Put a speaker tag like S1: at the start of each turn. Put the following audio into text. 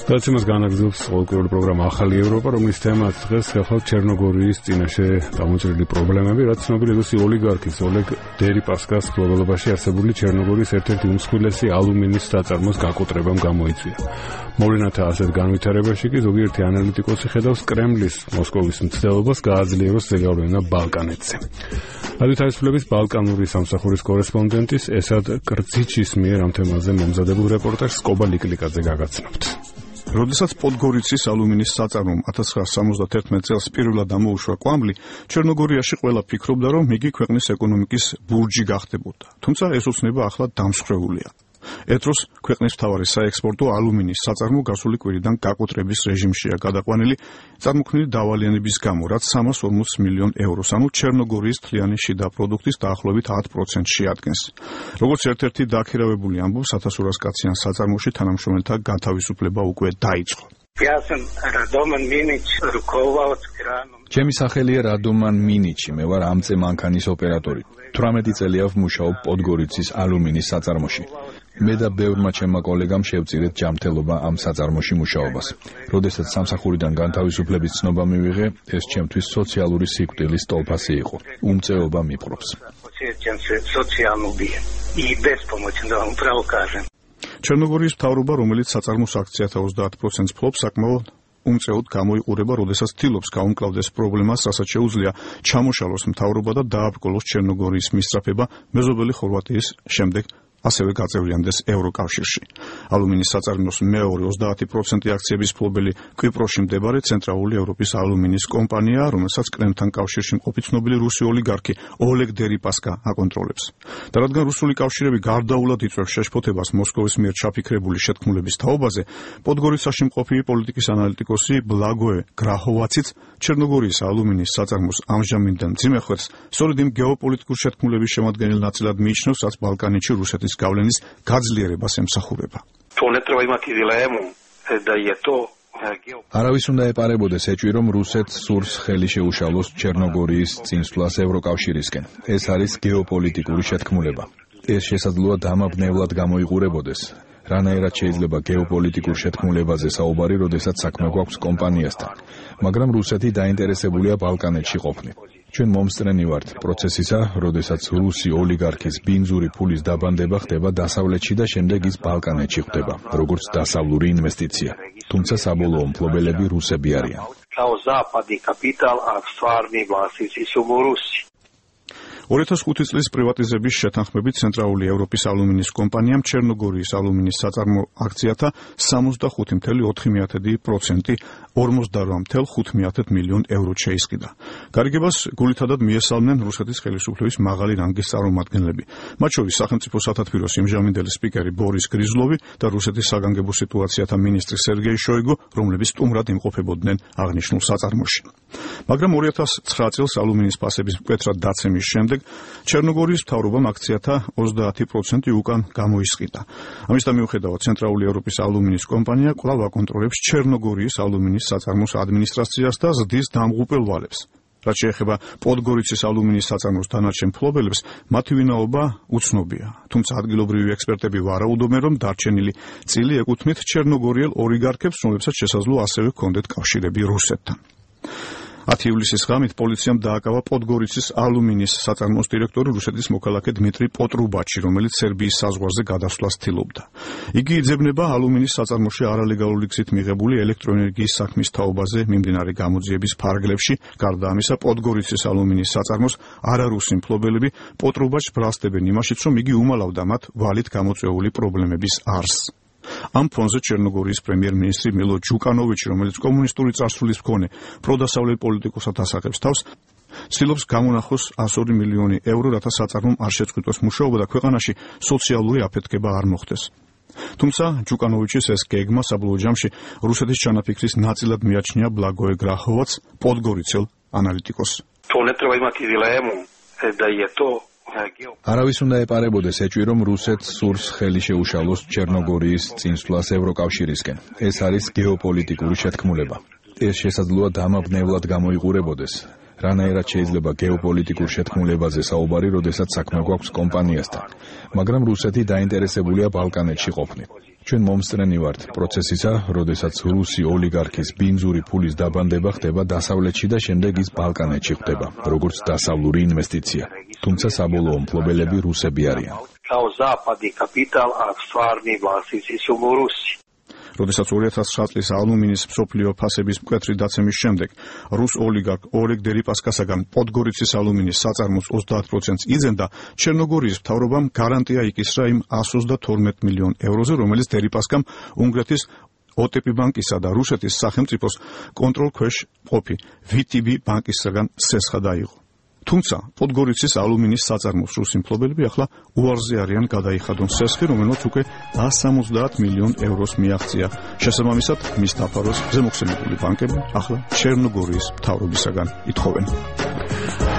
S1: დაცემას განაგრძობს ყოველკვირეული პროგრამა ახალი ევროპა, რომლის თემაც დღეს ხალხ ჩერნოგორიის წინაშე გამოჭრილი პრობლემები, რაც ცნობილი რუსი ოლიგარქის ოლეგ დერიპასკას მფლობელობაში არსებული ჩერნოგორიის ერთ-ერთი უმსხვილესი ალუმინის საწარმოს გაკოტრებამ გამოიწვია. მოვლენათა ასეთ განვითარებაში კი ზოგიერთი ანალიტიკოსი ხედავს კრემლის მოსკოვის მცდელობას გააძლიეროს ზეგავლენა ბალკანეთზე. რადიო თავისუფლების ბალკანური სამსახურის კორესპონდენტის ესად კრციჩის მიერ ამ თემაზე მომზადებულ რეპორტაჟს კობა ლიკლიკაძე გაგაცნობთ.
S2: როდესაც პოდგორიცის ალუმინის საწარმომ 1971 წელს პირველად ამოუშვა კვამლი, ჩერნოგორიაში ყველა ფიქრობდა, რომ იგი ქვეყნის ეკონომიკის ბურჯი გახდებოდა. თუმცა ეს ოცნება ახლა დამსხვრეულია. ერთ დროს ქვეყნის მთავარი საექსპორტო ალუმინის საწარმო გასული კვირიდან გაკოტრების რეჟიმშია გადაყვანილი წარმოქმნილი დავალიანების გამო, რაც 340 მილიონ ევროს, ანუ ჩერნოგორიის მთლიანი შიდა პროდუქტის დაახლოებით 10%-ს შეადგენს. როგორც ერთ-ერთი დაქირავებული ამბობს, 1200 კაციან საწარმოში თანამშრომელთა გათავისუფლება უკვე დაიწყო.
S3: ჩემი სახელია რადომან მინიჩი, მე ვარ ამწე მანქანის ოპერატორი. 18 წელია ვმუშაობ პოდგორიცის ალუმინის საწარმოში. მე და ბევრმა ჩემმა კოლეგამ შევწირეთ ჯანმრთელობა ამ საწარმოში მუშაობას. როდესაც სამსახურიდან განთავისუფლების ცნობა მივიღე, ეს ჩემთვის სოციალური სიკვდილის ტოლფასი იყო. უმწეობა მიპყრობს.
S2: ჩერნოგორიის მთავრობა, რომელიც საწარმოს აქციათა 30%-ს ფლობს, საკმაოდ უმწეოდ გამოიყურება, როდესაც ცდილობს გაუმკლავდეს პრობლემას, რასაც შეუძლია ჩამოშალოს მთავრობა და დააბრკოლოს ჩერნოგორიის მისწრაფება მეზობელი ხორვატიის შემდეგ ასევე გაწევრიანდეს ევროკავშირში. ალუმინის საწარმოს მეორე 30% აქციების მფლობელი კვიპროსში მდებარე ცენტრალური ევროპის ალუმინის კომპანია, რომელსაც კრემლთან კავშირში მყოფი ცნობილი რუსი ოლიგარქი ოლეგ დერიპასკა აკონტროლებს. და რადგან რუსული კავშირები გარდაულად იწვევს შეშფოთებას მოსკოვის მიერ ჩაფიქრებული შეთქმულების თაობაზე, პოდგორიცაში მყოფი პოლიტიკის ანალიტიკოსი ბლაგოე გრაჰოვაციც ჩერნოგორიის ალუმინის საწარმოს ამჟამინდელ მძიმე ხვერს სწორედ იმ გეოპოლიტიკური შეთქმულების შემადგენელ ნაწილად მიიჩნევს, რაც ბალკანეთში რუსეთის გავლენის გაძლიერებას ემსახურება.
S3: არავის უნდა ეპარებოდეს ეჭვი, რომ რუსეთს სურს ხელი შეუშალოს ჩერნოგორიის წინსვლას ევროკავშირისკენ. ეს არის გეოპოლიტიკური შეთქმულება. ეს შესაძლოა დამაბნევლად გამოიყურებოდეს. რანაირად შეიძლება გეოპოლიტიკურ შეთქმულებაზე საუბარი, როდესაც საქმე გვაქვს კომპანიასთან. მაგრამ რუსეთი დაინტერესებულია ბალკანეთში ყოფნით. ჩვენ მომსწრენი ვართ პროცესისა, როდესაც რუსი ოლიგარქის ბინძური ფულის დაბანდება ხდება დასავლეთში და შემდეგ ის ბალკანეთში ხდება, როგორც დასავლური ინვესტიცია. თუმცა საბოლოო მფლობელები რუსები არიან.
S2: 2005 წლის პრივატიზების შეთანხმებით ცენტრალური ევროპის ალუმინის კომპანიამ ჩერნოგორიის ალუმინის საწარმო აქციათა 65.4% 48.5 მილიონ ევროდ შეისყიდა. გარიგებას გულითადად მიესალმნენ რუსეთის ხელისუფლების მაღალი რანგის წარმომადგენლები, მათ შორის სახელმწიფო სათათბიროს იმჟამინდელი სპიკერი ბორის გრიზლოვი და რუსეთის საგანგებო სიტუაციათა მინისტრი სერგეი შოიგუ, რომლებიც სტუმრად იმყოფებოდნენ აღნიშნულ საწარმოში. მაგრამ 2009 წელს ალუმინის ფასების მკვეთრად დაცემის შემდეგ ჩერნოგორიის მთავრობამ აქციათა 30% უკან გამოისყიდა. ამისთან მიუხედავად, ცენტრალური ევროპის ალუმინის კომპანია კვლავ აკონტროლებს ჩერნოგორიის ალუმინის საწარმოს ადმინისტრაციას და ზრდის დამღუპელ ვალებს. რაც შეეხება პოდგორიცის ალუმინის საწარმოს დანარჩენ მფლობელებს, მათი ვინაობა უცნობია. თუმცა ადგილობრივი ექსპერტები ვარაუდობენ, რომ დარჩენილი წილი ეკუთვნით ჩერნოგორიელ ოლიგარქებს, რომლებსაც შესაძლოა ასევე ჰქონდეთ კავშირები რუსეთთან. 10 ივლისის ღამით პოლიციამ დააკავა პოდგორიცის ალუმინის საწარმოს დირექტორი რუსეთის მოქალაქე დმიტრი პოტრუბაჩი, რომელიც სერბიის საზღვარზე გადასვლას ცდილობდა. იგი იძებნება ალუმინის საწარმოში არალეგალური გზით მიღებული ელექტროენერგიის საქმის თაობაზე მიმდინარე გამოძიების ფარგლებში. გარდა ამისა, პოდგორიცის ალუმინის საწარმოს არარუსი მფლობელები პოტრუბაჩს ბრალსდებენ იმაშიც, რომ იგი უმალავდა მათ ვალით გამოწვეული პრობლემების არსს. ამ ფონზე ჩერნოგორიის პრემიერ-მინისტრი მილო ჯუკანოვიჩი, რომელიც კომუნისტური წარსულის მქონე პროდასავლელ პოლიტიკოსად ასახებს თავს, ცდილობს გამონახოს 102 მილიონი ევრო, რათა საწარმომ არ შეწყვიტოს მუშაობა და ქვეყანაში სოციალური აფეთქება არ მოხდეს. თუმცა ჯუკანოვიჩის ეს გეგმა საბოლოო ჯამში რუსეთის ჩანაფიქრის ნაწილად მიაჩნია ბლაგოე გრაჰოვაც, პოდგორიცელ ანალიტიკოს.
S3: არავის უნდა ეპარებოდეს ეჭვი, რომ რუსეთს სურს ხელი შეუშალოს ჩერნოგორიის წინსვლას ევროკავშირისკენ. ეს არის გეოპოლიტიკური შეთქმულება. ეს შესაძლოა დამაბნევლად გამოიყურებოდეს. რანაირად შეიძლება გეოპოლიტიკურ შეთქმულებაზე საუბარი, როდესაც საქმე გვაქვს კომპანიასთან, მაგრამ რუსეთი დაინტერესებულია ბალკანეთში ყოფნით. ჩვენ მომსწრენი ვართ პროცესისა, როდესაც რუსი ოლიგარქის ბინძური ფულის დაბანდება ხდება დასავლეთში და შემდეგ ის ბალკანეთში ხდება, როგორც დასავლური ინვესტიცია. თუმცა საბოლოო მფლობელები რუსები არიან.
S2: როდესაც 2009 წლის ალუმინის მსოფლიო ფასების მკვეთრი დაცემის შემდეგ რუს ოლიგარქ ორეგ დერიპასკასაგან პოდგორიცის ალუმინის საწარმოს 30%-ს იძენდა, ჩერნოგორიის მთავრობამ გარანტია იკისრა იმ 132 მილიონ ევროზე, რომელიც დერიპასკამ უნგრეთის OTP ბანკისა და რუსეთის სახელმწიფოს კონტროლქვეშ მყოფი VTB ბანკისგან სესხა დაიღო. თუმცა პოდგორიცის ალუმინის საწარმოს რუსი მფლობელები ახლა უარზე არიან გადაიხადონ სესხი, რომელმაც უკვე 170 მილიონ ევროს მიაღწია. შესაბამისად, მის დაფარვას ზემოხსენებული ბანკები ახლა ჩერნოგორიის მთავრობისაგან ითხოვენ.